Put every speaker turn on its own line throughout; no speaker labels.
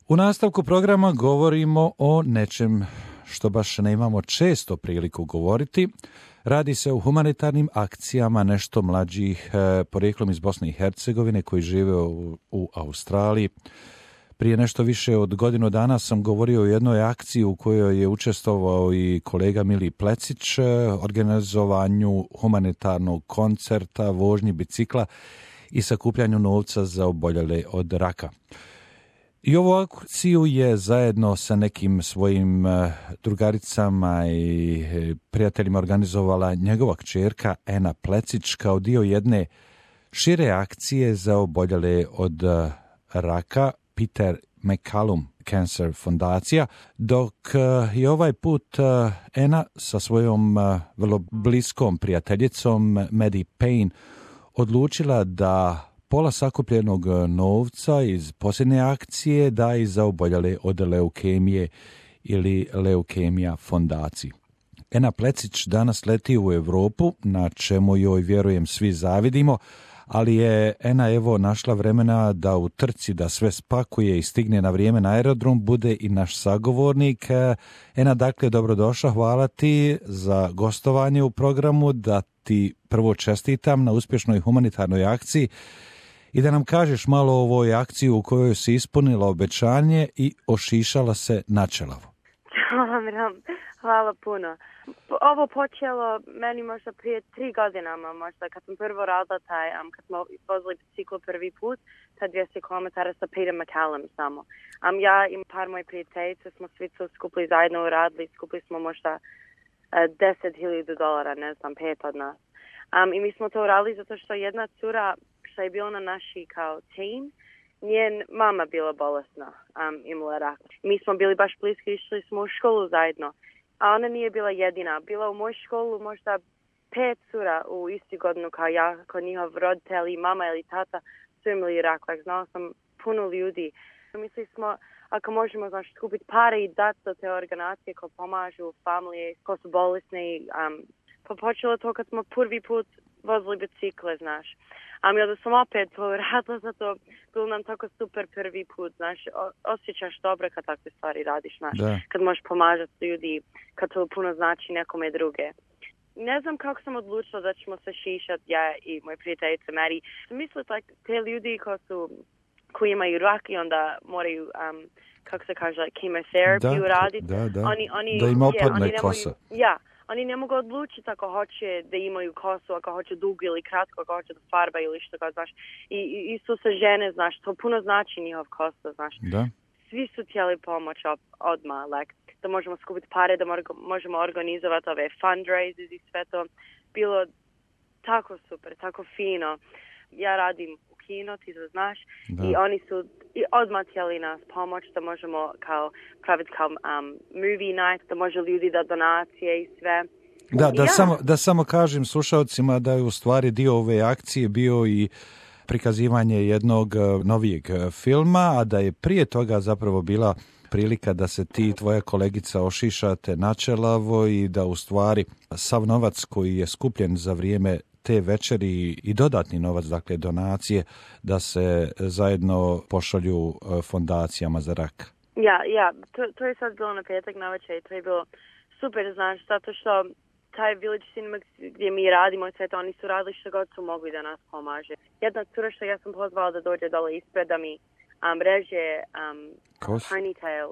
U nastavku programa govorimo o nečem što baš ne imamo često priliku govoriti. Radi se o humanitarnim akcijama nešto mlađih porijeklom iz Bosne i Hercegovine koji žive u Australiji. Prije nešto više od godinu dana sam govorio o jednoj akciji u kojoj je učestvovao i kolega Mili Plecić, organizovanju humanitarnog koncerta, vožnji bicikla i sakupljanju novca za oboljele od raka. I ovu akciju je zajedno sa nekim svojim drugaricama i prijateljima organizovala njegova kćerka Ena Plecić kao dio jedne šire akcije za oboljele od raka Peter McCallum Cancer fondacija, dok je ovaj put Ena sa svojom vrlo bliskom prijateljicom Maddie Payne odlučila da pola sakupljenog novca iz posljednje akcije da i za oboljele od leukemije ili Leukemija fondaciji. Ena Plecić danas leti u Europu, na čemu joj vjerujem svi zavidimo, ali je Ena evo našla vremena da u trci da sve spakuje i stigne na vrijeme na aerodrom bude i naš sagovornik. Ena, dakle, dobrodošla, hvala ti za gostovanje u programu, da ti prvo čestitam na uspješnoj humanitarnoj akciji i da nam kažeš malo o ovoj akciji u kojoj si ispunila obećanje i ošišala se načelavo.
Hvala puno. Ovo počelo meni možda prije 3 godinama, možda kad sam prvo radila kad smo vozili biciklu prvi put, ta 200 km sa Peter McCallum samo. Ja i par moje prijateljice smo svi to skupili zajedno uradili, skupili smo možda $10,000, ne znam, 5 od nas. I mi smo to uradili zato što jedna cura što je bila na naši kao team, njen mama bila bolesna, imala rak. Mi smo bili baš bliski, išli smo u školu zajedno. A ona nije bila jedina. Bila u mojoj školu možda 5 cura u isti godinu kao ja, kao njihov roditelji, mama ili tata su imali rak. Znala sam puno ljudi. Mislili smo, ako možemo skupiti pare i dati za te organizacije koje pomažu familije, koje su bolesne. Počelo to kad smo prvi put vozili bicikle, znaš. I onda sam opet to radila, zato bilo nam tako super prvi put, znaš, osjećaš dobro kad takve stvari radiš, znaš, kad možeš pomažati ljudi, kad to puno znači nekome druge. Ne znam kako sam odlučila da ćemo se šišati, ja i moje prijateljice Mary. Mislim, te ljudi koji imaju rak i onda moraju, kako se kaže, chemotherapy uraditi.
Da im opadne kosa.
Oni ne mogu odlučiti ako hoće da imaju kosu, ako hoće dugo ili kratko, ako hoće da farba ili što ga, znaš. I isto sa žene, znaš, to puno znači njihov kosa, znaš.
Da.
Svi su htjeli pomoć odmah, da možemo skupiti pare, da možemo organizovati ove fundraisers i sve to. Bilo tako super, tako fino. Ja radim u kino, ti to znaš, i oni su odmah htjeli nas pomoć, da možemo praviti kao movie night, da može ljudi da donacije i sve.
Da samo kažem slušalcima da je u stvari dio ove akcije bio i prikazivanje jednog novijeg filma, a da je prije toga zapravo bila prilika da se ti i tvoja kolegica ošišate načelavo i da u stvari sav novac koji je skupljen za vrijeme te večeri i dodatni novac, dakle donacije, da se zajedno pošalju fondacijama za rak.
To je sad bilo na petak na večer i to je bilo super, znaš, zato što taj Village Cinema gdje mi radimo sve to, oni su radili što god su mogli da nas pomaže. Jedna cura što ja sam pozvala da dođe dole ispred da mi reže ponytail.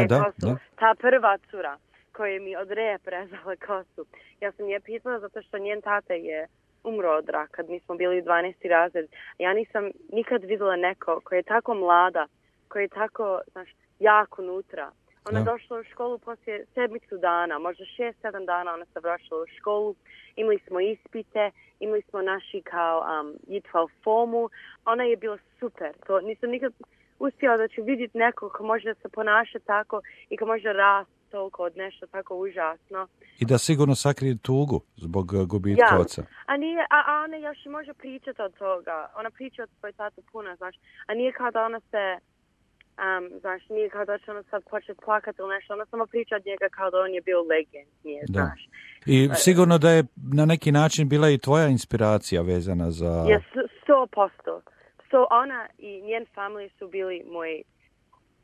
Da.
Ta prva cura koja mi od repa rezala kosu. Ja sam je pitala zato što njen tata je umro od raka kad mi smo bili u 12. razred. Ja nisam nikad vidjela neko koji je tako mlada, koji je tako, znaš, jako unutra. Ona je došla u školu poslije 7 dana, možda 6-7 dana ona se vraćala u školu. Imali smo ispite, imali smo naši kao J12 formu. Ona je bila super. To nisam nikad uspjela da ću vidjeti nekog ko može da se ponaša tako i ko može rasti toliko od nešto tako užasno.
I da sigurno sakrije tugu zbog gubitka oca.
A ona još može pričati od toga. Ona priča od svoj tatu puno, znaš. A nije kao da ona se, znaš, nije kao da će ona sad početi plakati ili nešto. Ona samo priča od njega kao da on je bio legend, znaš.
I sigurno da je na neki način bila i tvoja inspiracija vezana za...
100%. Ona i njen familija su bili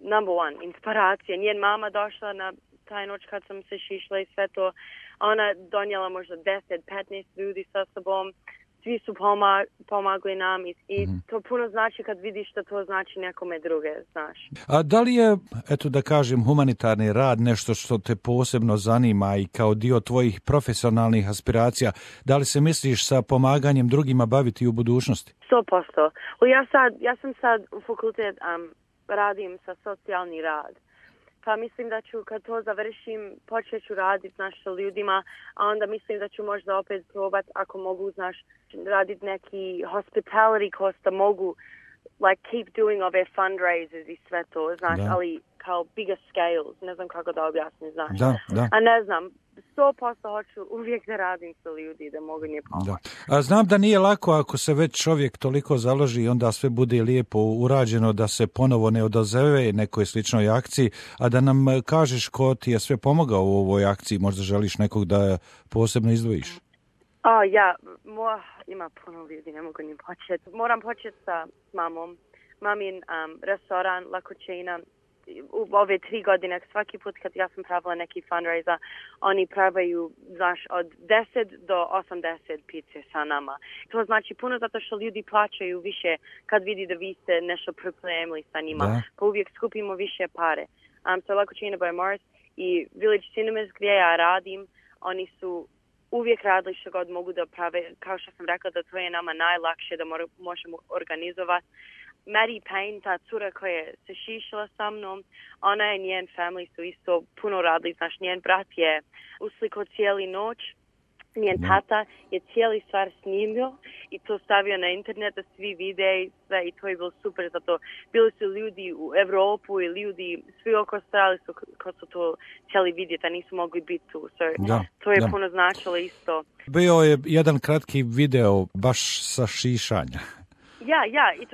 number one, inspiracija. Njen mama došla na taj noć kad sam se šišla i sve to. Ona donijela možda 10-15 ljudi sa sobom. Svi su pomagli nam i to puno znači kad vidiš da to znači nekome druge, znaš.
A da li je, eto da kažem, humanitarni rad nešto što te posebno zanima i kao dio tvojih profesionalnih aspiracija? Da li se misliš sa pomaganjem drugima baviti u budućnosti?
100%. Ja sam sad u fakultet, radim sa socijalni rad. Pa mislim da ću, kad to završim, počet ću raditi, sa ljudima, a onda mislim da ću možda opet probat, ako mogu, raditi neki hospitality course, da mogu, keep doing ove fundraisers i sve to, ali kao bigger scales, ne znam kako da objasnim,
Da.
A ne znam, 100% hoću uvijek da radim sa ljudi, da mogu njih pomoći.
A znam da nije lako ako se već čovjek toliko založi i onda sve bude lijepo urađeno, da se ponovo ne odazove nekoj sličnoj akciji, a da nam kažeš ko ti je sve pomogao u ovoj akciji, možda želiš nekog da posebno izdvojiš?
Ima puno ljudi, ne mogu ni početi. Moram početi sa mamom. Mamin restoran La Cucina. U ove 3 godine, svaki put kad ja sam pravila neki fundraiser, oni pravaju, od 10 do 80 pice sa nama. To znači puno zato što ljudi plaćaju više kad vidi da vi ste nešto pripremili sa njima. Pa uvijek skupimo više pare. So La Cucina by Morris i Village Cinemas gdje ja radim, oni su uvijek radili što god mogu da prave. Kao što sam rekla, da to je nama najlakše da možemo organizovati. Maddie Payne, ta cura koja se šišila sa mnom, ona i njen family su isto puno radili. Njen brat je uslikao cijeli noć, njen tata je cijeli stvar snimio i to stavio na internet da svi vide i sve, i to je bilo super, zato bili su ljudi u Evropu i ljudi svi oko strali su ko su to htjeli vidjeti, a nisu mogli biti tu. To je puno značilo isto.
Bio je jedan kratki video baš sa šišanja.
I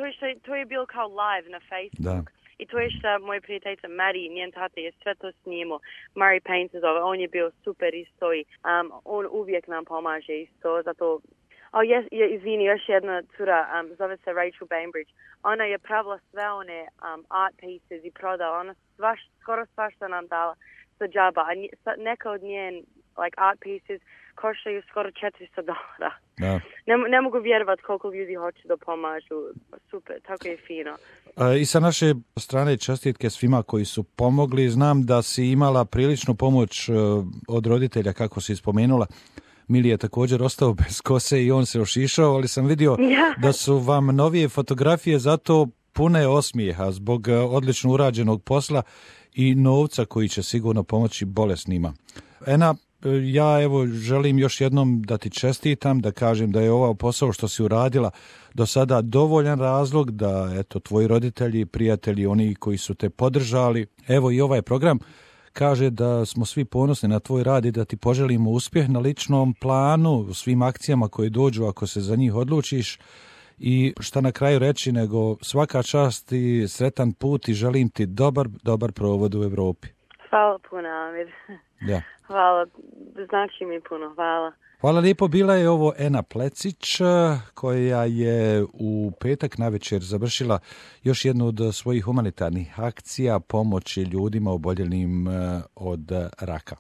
to je bilo kao live na Facebook. I to je što moj prijateljica Maddie, njen tata je sve to snimao. Murray Payne se zove, on je bio super isto i on uvijek nam pomaže isto, zato... Izvini, još jedna cura, zove se Rachel Bainbridge. Ona je pravila sve one art pieces i prodala. Ona skoro svašta nam dala za džaba. A neka od njen art pieces koštaju skoro $400. Ne mogu vjerovati koliko ljudi hoće da pomažu. Super, tako je fino.
I sa naše strane čestitke svima koji su pomogli. Znam da si imala priličnu pomoć od roditelja, kako si spomenula. Mili je također ostao bez kose i on se ošišao, ali sam vidio da su vam novije fotografije zato pune osmijeha zbog odlično urađenog posla i novca koji će sigurno pomoći bolesnima. Ena, ja želim još jednom da ti čestitam, da kažem da je ovaj posao što si uradila do sada dovoljan razlog da tvoji roditelji, prijatelji, oni koji su te podržali, i ovaj program kaže da smo svi ponosni na tvoj rad i da ti poželimo uspjeh na ličnom planu, u svim akcijama koje dođu ako se za njih odlučiš. I šta na kraju reći nego svaka čast i sretan put i želim ti dobar provod u Europi.
Hvala puno, Amir. Hvala, znači mi puno, hvala.
Hvala lijepo, bila je ovo Ena Plecić koja je u petak navečer završila još jednu od svojih humanitarnih akcija pomoći ljudima oboljelim od raka.